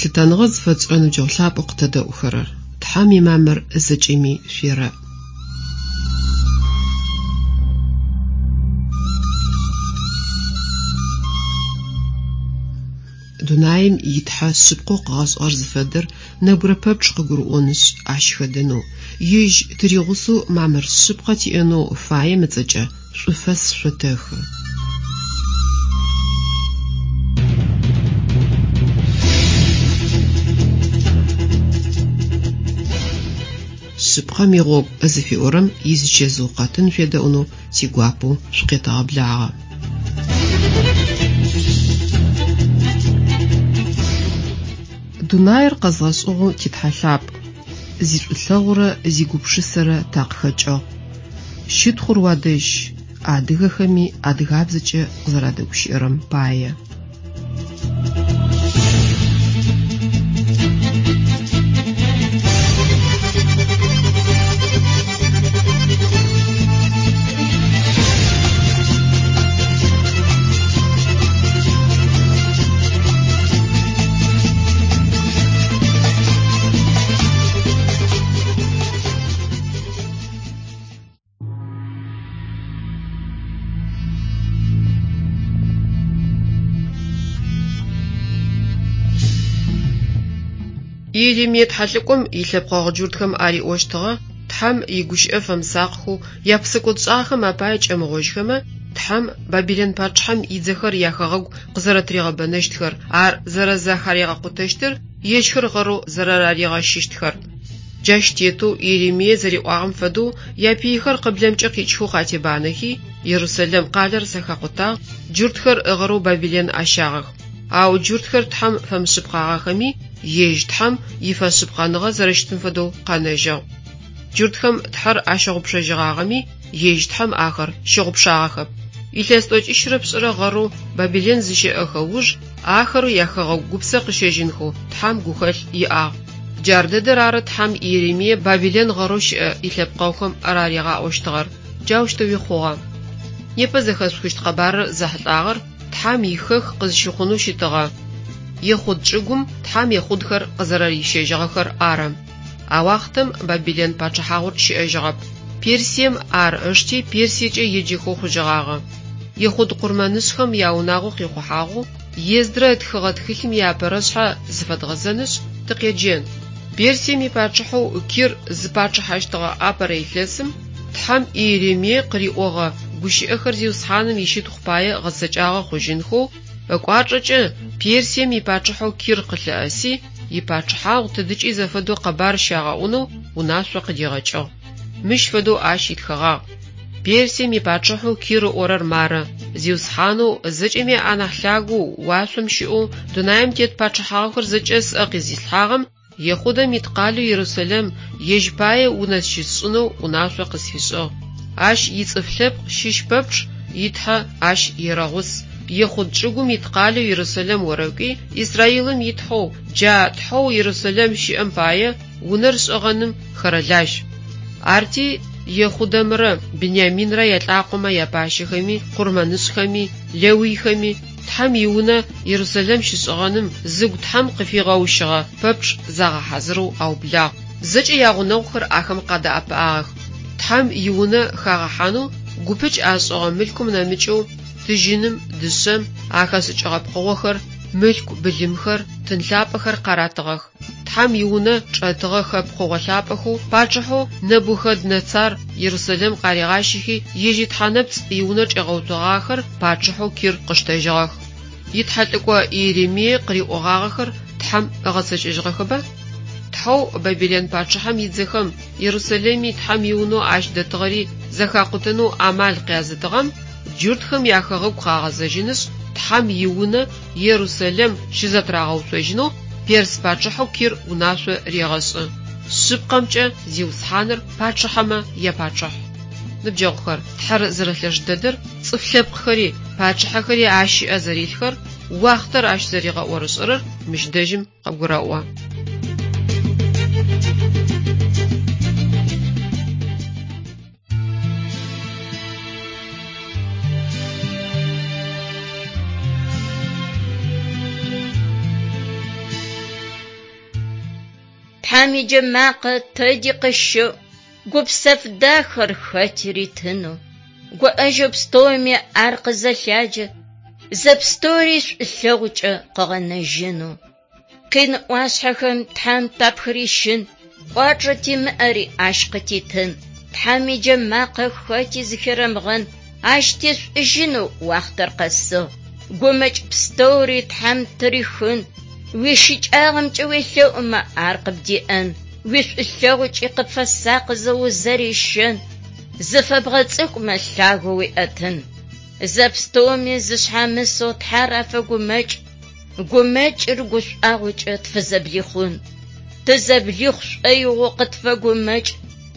Лъытэныгъэ зыфэтшӏырэ ныбджэгъу лъапӏэу къытэдэӏухэрэр! Тхьэм имамыр зэкӏэми шъуерэӏ. Дунаим и Тхьэ шъыпкъэу къыгъэшӏыгъэр зыфэдэр нэбгырэ пэпчъ къыгурыӏонышъ, ащ хэдэнэу, Ежь тыригъусэу мамыр шъыпкъэ тиӏэнэу фаем ыцӏэкӏэ шӏуфэс шъотэхы. Шъыпкъэм игъогу зыфиӏорэм изичэзыу къэтын шъуедэӏунэу тигуапэу шъукъетэгъэблагъэ. Дунаир къэзгъэшӏыгъэу ти Тхьэ лъапӏ, зишӏулъэгъурэ зигупшысэрэ такъыхэкӏыгъ. Щытхъур уадэжь, адыгэхэми адыгабзэкӏэ къызэрадэгущыӏэрэм пае. Иеремие тхьэлӏыкӏом илъэпкъэгъу джуртхэм ариӏощтыгъэ Тхьэм игущыӏэ фэмысакъхэу япсэкӏодшӏагъэхэм апае кӏэмыгъожьхэмэ, Тхьэм Бабилэн пачъыхьэм идзэхэр яхэгъэгу къызэрэтыригъэбэнэщтхэр, ар зэрэзэхаригъэкъутэщтыр, ежьхэр гъэрэу зэрэраригъэщыщтхэр. Джащ тетэу Иеремие зэриӏуагъэм фэдэу япыйхэр къыблэмкӏэ къикӏхэу къатебанэхи, Ерусэлэм къалэр зэхакъутагъ, джуртхэр гъэрэу Бабилэн ащагъэх. Ау джуртхэр Тхьэм фэмышъыпкъагъэхэми, ежь Тхьэм ифэшъыпкъэныгъэ зэрэщытым фэдэу къэнэжьыгъ. Джуртхэм Тхьэр ащыгъупшэжьыгъагъэми, ежь Тхьэм ахэр щыгъупшагъэхэп. Илъэс тӏокӏищрэ пшӏырэ гъэрэу Бабилэн зыщэӏэхэ уж ахэр яхэгъэгу гупсэ къыщэжьынхэу Тхьэм гухэлъ иӏагъ. Джар дэдэр ары Тхьэм Иеремие Бабилэн гъэрэу щыӏэ илъэпкъэгъухэм араригъаӏощтыгъэр. Джаущтэуи хъугъэ. Непэ зэхэшъухыщт къэбарыр зэхьылӏагъэр Тхьэм ихэх къызщыхъунэу щытыгъэ Ехъуд чӏыгум Тхьэм ехъудхэр къызэрэрищэжьыгъэхэр ары. А уахътэм Бабилэн пачъыхьагъур щыӏэжьыгъэп. Персием ар ышти Персиекӏэ еджэхэу хъужьыгъагъэ. Ехъуд къурмэнышӏхэм яунагъо къихъухьагъэу Ездрэ ытхыгъэ тхылъым иапэрэшъхьэ зыфэдгъэзэнышъ, тыкъеджэн. Персием ипачъыхьэу Кир зыпачъыхьэщтыгъэ апэрэ илъэсым Тхьэм Иеремие къыриӏогъэ гущыӏэхэр Зиусхьаным ищытхъу пае гъэцэкӏагъэ хъужьынхэу ыкӏуачӏэкӏэ Персием ипачъыхьэу Кир къылъыӏэси, ипачъыхьагъу тыдыкӏи зэфэдэу къэбар щагъэӏунэу унашъо къыдигъэкӏыгъ. Мыщ фэдэу ащ итхэгъагъ, Персием ипачъыхьэу Кир ыӏорэр мары, Зиусхьанэу, зэкӏэми анахь лъагэу, уашъом щыӏэу, дунаим тет пачъыхьагъухэр зэкӏэ сӏэ къизилъхьагъэм Ехъудэм ит къалэу Ерусэлэм ежь пае унэ щысшӏынэу унашъо къысфишӏыгъ. Ащ ицӏыф лъэпкъ щыщ пэпчъ и Тхьэ ащ ерэгъус. Ехъуд чӏыгум ит къалэу Ерусэлэм орэкӏуи, Израилым и Тхьэу, джа Тхьэу Ерусэлэм щыӏэм пае унэр шӏыгъэным хэрэлажь. Арти Ехъудэмрэ Биняминрэ ялӏакъомэ япащэхэми, къурмэнышӏхэми, лэуйхэми, Тхьэм и Унэ Ерусэлэм щышӏыгъэным зыгу Тхьэм къыфигъэущыгъэ пэпчъ загъэхьазырэу аублагъ. Зэкӏэ ягъунэгъухэр ахэм къадэӏэпыӏагъэх. Тхьэм и Унэ хагъэхьанэу гупыкӏ ашӏыгъэ мылъкум нэмыкӏэу тыжьыным, дышъэм ахэшӏыкӏыгъэ пкъыгъохэр, мылъку былымхэр, тын лъапӏэхэр къаратыгъэх. Тхьэм и Унэ чӏэтыгъэхэ пкъыгъо лъапӏэхэу пачъыхьэу Нэбухэднэцар Ерусэлэм къаригъащэхи, ежь итхьэнэпцӏ иунэ чӏигъэуцогъагъэхэр пачъыхьэу Кир къыштэжьыгъэх. Итхьэлӏыкӏо Иеремие къыриӏогъагъэхэр Тхьэм ыгъэцэкӏэжьыгъэхэба? Тхьэу Бабилэн пачъыхьэм идзэхэм Ерусэлэми Тхьэм и Унэу ащ дэтыгъэри зэхакъутэнэу амал къязытыгъэм джуртхэм яхэгъэгу къагъэзэжьынышъ, Тхьэм и Унэ Ерусэлэм щызэтырагъэуцожьынэу перс пачъыхьэу Кир унашъо регъэшӏы. Шъыпкъэмкӏэ, Зиусхьаныр пачъыхьэмэ япачъыхь. Ныбджэгъухэр, Тхьэр зэрэлъэш дэдэр, цӏыф лъэпкъхэри, пачъыхьэхэри Ащ ыӏэ зэрилъхэр, уахътэр Ащ зэригъэӏорышӏэрэр мыщ дэжьым къыбгурэӏо. Тхьэм иджэмакъэ тэди къыщэӏу, гупсэф дахэр хэти ритынэу. Гуӏэжьэу пстэуми ар къызэлъаджэ, зэпстэури шӏулъэгъукӏэ къыгъэнэжьынэу. Къин ӏуашъхьэхэм Тхьэм тапхырищын, кӏуачӏэ тимыӏэри ащ къытитын. Тхьэм иджэмакъэ хэти зыхерэмыгъэн, ащ тешӏужьынэу уахътэр къэсыгъ. Гумэкӏ пстэури Тхьэм тырихын, уищыкӏагъэмкӏэ уелъэӏумэ ар къыбдеӏэн, уишӏулъэгъукӏи къыпфэсакъызэ узэрищэн, зыфэбгъэцӏыкӏумэ лъагэу уиӏэтын. Зэпстэуми зышъхьамысэу Тхьэр афэгумэкӏ, гумэкӏыр гушӏуагъокӏэ тфызэблихъун. Тызэблихъу шӏоигъоу къытфэгумэкӏ,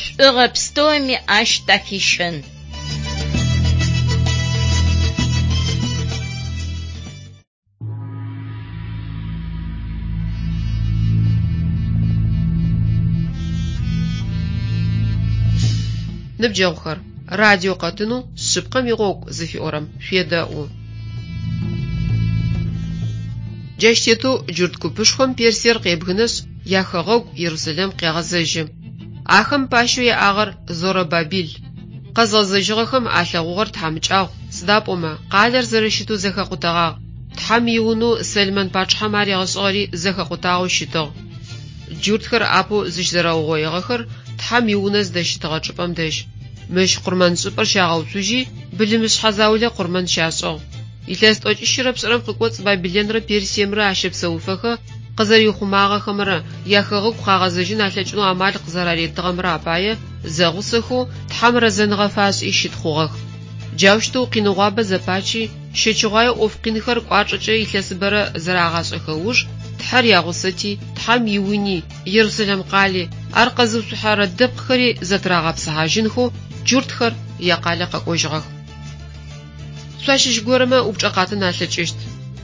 шӏугъэ пстэуми ащ тахищэн. Ныбджэгъухэр, радио къэтынэу Шъыпкъэм игъогу зыфиӏорэм шъуедэӏу. Джащ тетэу джурт купышхом Персиер къебгынэшъ, яхэгъэгу Ерусэлэм къегъэзэжьы. Ахэм пащэу яӏагъэр Зоробабил. Къэзгъэзэжьыгъэхэм алъэгъугъэр тхьамыкӏагъу, сыда пӏомэ къалэр зэрэщытэу зэхэкъутэгъагъ, Тхьэм иунэу Сэлмэн пачъыхьэм аригъэшӏыгъэри зэхэкъутагъэу щытыгъ. Джуртхэр апэу зыщызэрэугъоигъэхэр Тхьэм иунэ зыдэщытыгъэ чӏыпӏэм дэжь. Мыщ къурмэншӏыпӏэр щагъэуцужьи, былымышъхьэ заулэ къурмэн щашӏыгъ. Илъэс тӏокӏищырэ пшӏырэм къыкӏоцӏ Бабилэнрэ Персиемрэ ащэпсэуфэхэ къызэриухъумагъэхэмрэ яхэгъэгу къагъэзэжьын алъэкӏынэу амал къызэраритыгъэмрэ апае зэгъусэхэу Тхьэм рэзэныгъэ фашӏи щытхъугъэх. Джаущтэу къиныгъуабэ зэпачи, щэчыгъуае ӏоф къинхэр кӏуачӏэкӏэ илъэсыбэрэ зэрагъашӏэхэ ыуж, Тхьэр ягъусэти, Тхьэм иуни, Ерусэлэм къали, ар къэзыуцухьэрэ дэпкъхэри зэтырагъэпсыхьажьынхэу джуртхэр якъалэ къэкӏожьыгъэх. Шъуащыщ горэмэ упчӏэ къатын алъэкӏыщт.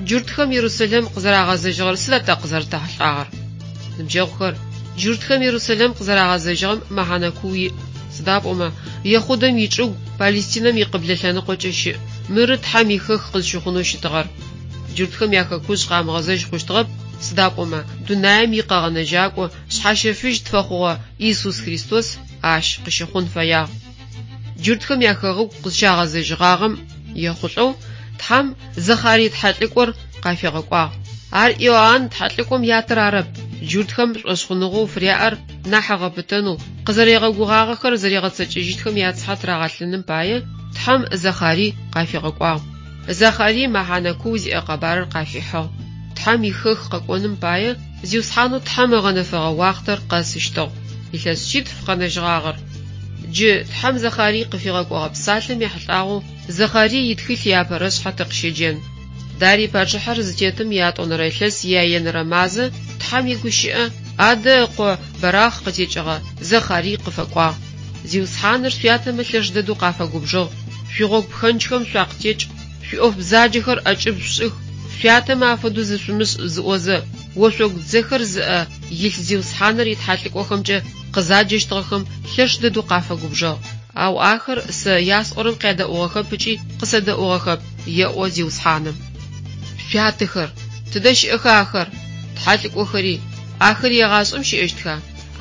Джуртхэм Ерусэлэм къызэрагъэзэжьыгъэр сыда тэ къызэрэтэхьылӏагъэр? Ныбджэгъухэр, джуртхэм Ерусэлэм къызэрагъэзэжьыгъэм мэхьанэ куу иӏ. Сыда пӏомэ, Ехъудэм ичӏыгу Палестинэм икъыблэ лъэныкъокӏэ щыӏ, мыры Тхьэм ихэх къызщыхъунэу щытыгъэр. Джуртхэм яхэкужъ къамыгъэзэжь хъущтыгъэп, сыда пӏомэ, дунаим икъэгъэнэжьакӏо шъхьащэфыжь тфэхъугъэ Иисус Христос ащ къыщыхъун фэягъ. Джуртхэм яхэгъэгу къызщагъэзэжьыгъагъэм ехъулӏэу Тхьэм Зэхъарый тхьэлӏыкӏор къафигъэкӏуагъ. Ар Иоанн тхьэлӏыкӏом ятэр арэп, джуртхэм шӏошъхъуныгъэу фыряӏэр нахь ыгъэпытэнэу, къызэригъэгугъагъэхэр зэригъэцэкӏэжьыщтхэм яцыхьэ тырагъэлъыным пае Тхьэм Зэхъарый къафигъэкӏуагъ. Зэхъарый мэхьанэ куу зиӏэ къэбарыр къафихьыгъ. Тхьэм ихэх къэкӏоным пае Зиусхьанэу Тхьэм ыгъэнэфэгъэ уахътэр къэсыщтыгъ. Илъэс шъитф къэнэжьыгъагъэр. Джы Тхьэм Зэхъарый къыфигъэкӏогъэ псалъэм ехьылӏагъэу Зэхъарый итхылъ иапэрэшъхьэ тыкъыщеджэн. Дарий пачъыхьэр зытетым иятӏонэрэ илъэс ияенэрэ мазэ Тхьэм игущыӏэ Адэ ыкъо Бэрахъ къытекӏыгъэ Зэхъарый къыфэкӏуагъ. Зиусхьаныр шъуятэмэ лъэш дэдэу къафэгубжыгъ. Шъуигъогу пхэнджхэм шъуакъытекӏ, шъуиӏоф бзаджэхэр ӏэкӏыб шъушӏых, шъуятэмэ афэдэу зышъумышӏ зыӏозэ, ошъогу дзэхэр зыӏэ илъ Зиусхьаныр итхьалӏыкӏохэмкӏэ къызаджэщтыгъэхэм лъэш дэдэу къафэгубжыгъ. Ау ахэр сэ ясӏорэм къядэӏугъэхэп ыкӏи къысэдэӏугъэхэп, еӏо Зиусхьаным. Шъуятэхэр, тыдэ щыӏэха ахэр? Тхьэлӏыкӏохэри, ахэри егъашӏэм щыӏэщтха?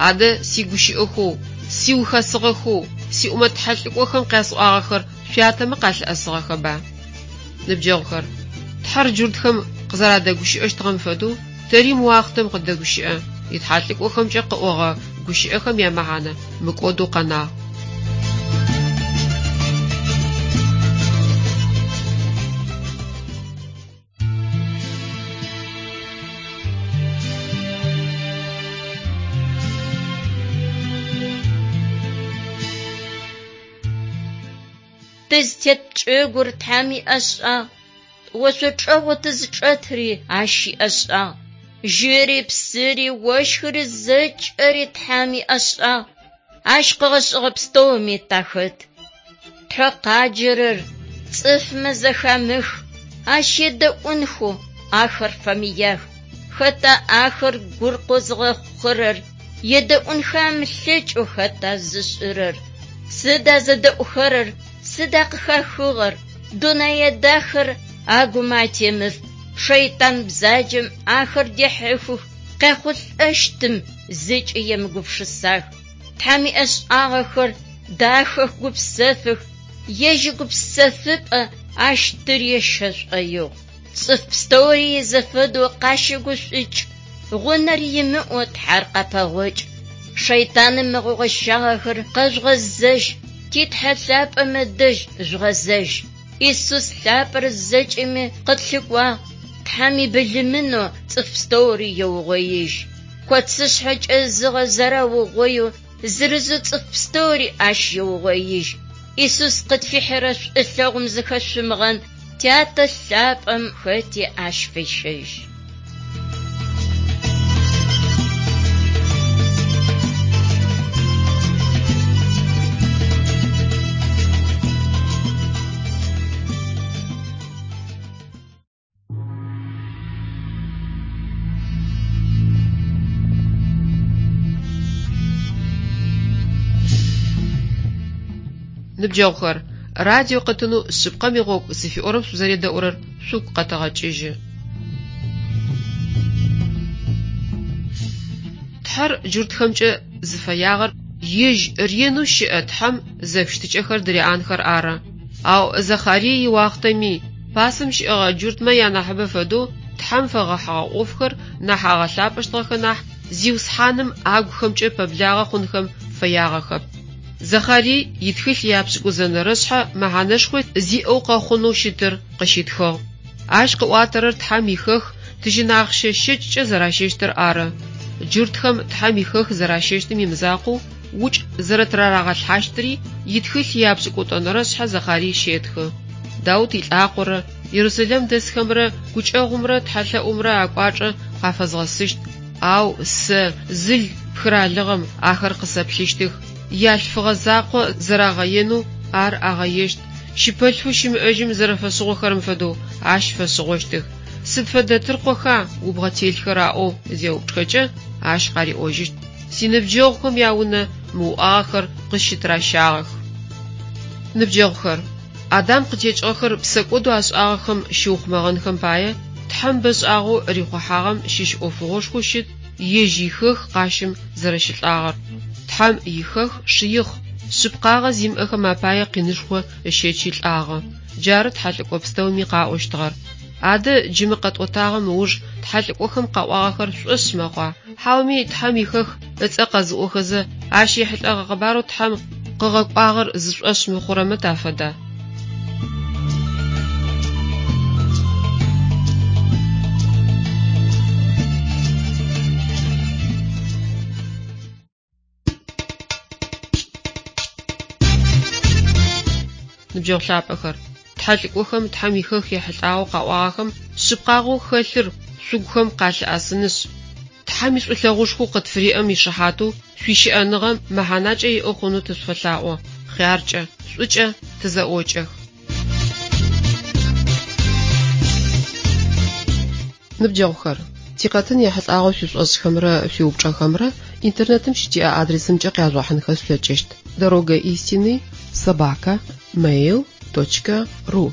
Адэ сигущыӏэхэу, сиухэсыгъэхэу, сиӏумэт тхьэлӏыкӏохэм къясӏуагъэхэр шъуятэмэ къалъыӏэсыгъэхэба? Ныбджэгъухэр, Тхьэр джуртхэм къызэрадэгущыӏэщтыгъэм фэдэу, тэри мы уахътэм къыддэгущыӏэ, итхьэлӏыкӏохэмкӏэ къыӏогъэ гущыӏэхэм ямэхьанэ мыкӏодэу къэнагъ. Тызтет чӏыгур Тхьэм иӏэшӏагъ, ошъо чӏэгъэу тызчӏэтри Ащ иӏэшӏагъ. Жьыри, псыри, ощхыри зэкӏэри Тхьэм иӏэшӏагъ. Ащ къыгъэшӏыгъэ пстэуми тахэт. Тхьэ къаджэрэр цӏыфмэ зэхамых, Ащ едэӏунхэу ахэр фэмыях. Хэта ахэр гур къозыгъэхъухэрэр, едэӏунхэ амылъэкӏэу хэта зышӏырэр? Сыда зэдэӏухэрэр, сыда къыхахыгъэр? Дунэе дахэр агумэ атемыф, шэйтан бзаджэм ахэр дехьыхых, къяхъулӏэщтым. зыкӏи емыгупшысах. Тхьэм иӏэшӏагъэхэр дахэх, гупсэфых, ежь игупсэфыпӏэ ащ тырещэ шӏоигъу. Цӏыф пстэури изэфэдэу къащэгушӏукӏ, гъунэр имыӏэу Тхьэр къапэгъокӏ. Шэйтаным ыгъэгъощагъэхэр къэжъугъэзэжь, ти Тхьэ лъапӏэм ыдэжь жъугъэзэжь. Исус лъапӏэр зэкӏэми къытлъыкӏуагъ, Тхьэм ибылымынэу цӏыф пстэури еугъоижь. Коцышъхьэ кӏэзыгъэ зэраугъоеу зырызэу цӏыф пстэури ащ еугъоижь. Исус къытфихьырэ шӏулъэгъум зыхэшъумыгъэн, Тятэ лъапӏэм хэти ащ фещэжь. Ныбджэгъухэр, радио къэтынэу Шъыпкъэм игъогу зыфиӏорэм шъузэредэӏурэр шъугу къэтэгъэкӏыжьы. Тхьэр джуртхэмкӏэ зыфэягъэр ежь ренэу щыӏэ Тхьэм зэфыщытыкӏэхэр дыриӏанхэр ары. Ау Захарие иуахътэми, пасэм щыӏэгъэ джуртмэ янахьыбэ фэдэу Тхьэм фэгъэхьыгъэ ӏофхэр нахь агъэлъапӏэщтыгъэхэ нахь, Зиусхьаным агухэмкӏэ пэблагъэ хъунхэм фэягъэхэп. Захарие итхылъ япшӏыкӏузэнэрэ шъхьэ мэхьанэшхо зиӏэу къэхъунэу щытыр къыщитхыгъ. Ащ къыӏуатэрэр Тхьэм ихэх тыжьын ахъщэ щэкӏкӏэ зэращэщтыр ары. Джуртхэм Тхьэм ихэх зэращэщтым имызакъоу, укӏ зэрэтырарагъэлъхьащтыри итхылъ япшӏыкӏутӏонэрэ шъхьэ Захарие щетхы. Даут илӏакъорэ Ерусалим дэсхэмрэ гукӏэгъумрэ тхьэлъэӏумрэ акӏуачӏэ къафэзгъэсыщт, ау сэ, зыл пхыралыгъэм, ахэр къысэплъыщтых. Ялъфыгъэ закъо зэрагъэенэу ар агъэещт, щыпэлъфэу щымыӏэжьым зэрэфэшъыгъохэрэм фэдэу ащ фэшъыгъощтых. Сыд фэдэ тыркъоха убгъэ телъхэр аӏоу зеупчӏхэкӏэ, ащ къариӏожьыщт, Синыбджэгъухэм яунэ мы уӏагъэхэр къысщытыращагъэх. Ныбджэгъухэр, Адам къытекӏыгъэхэр псэкӏодэу ашӏагъэхэм щыухъумэгъэнхэм пае, Тхьэм бэшӏагъэу рихъухьагъэм щыщ ӏофыгъошхоу щыт ежь ихэх къащым зэрэщылӏагъэр. Тхьэм ихэх шыихъ, шъыпкъагъэ зимыӏэхэм апае къинышхо ыщэчи лӏагъэ. Джары тхьэлӏыкӏо пстэуми къаӏощтыгъэр. Адэ джы мы къэтӏотагъэм ыуж тхьэлӏыкӏохэм къаӏуагъэхэр шъушӏошъ мэхъуа? Хьауми Тхьэм ихэх ыцӏэ къэзыӏохэзэ, ащ ехьылӏэгъэ къэбарэу Тхьэм къыгъэкӏуагъэр зышӏошъ мыхъурэмэ тафэда? Ныбджэгъу лъапӏэхэр, тхьэлӏыкӏохэм Тхьэм ихэх ехьылӏагъэу къаӏуагъэхэм шъыпкъагъэу хэлъыр шъугухэм къалъыӏэсынышъ, Тхьэм ишӏулъэгъушхоу къытфыриӏэм ишыхьатэу шъуищыӏэныгъэ мэхьанакӏэ иӏэ хъунэу тышъуфэлъаӏо, хъяркӏэ, шӏукӏэ тызэӏокӏэх. Ныбджэгъухэр, тикъэтын ехьылӏагъэу шъуишӏошӏхэмрэ шъуиупчӏэхэмрэ интернетым щытиӏэ адресымкӏэ къяжъугъэхьынхэ шъулъэкӏыщт: дорога истины собака mail точка ру.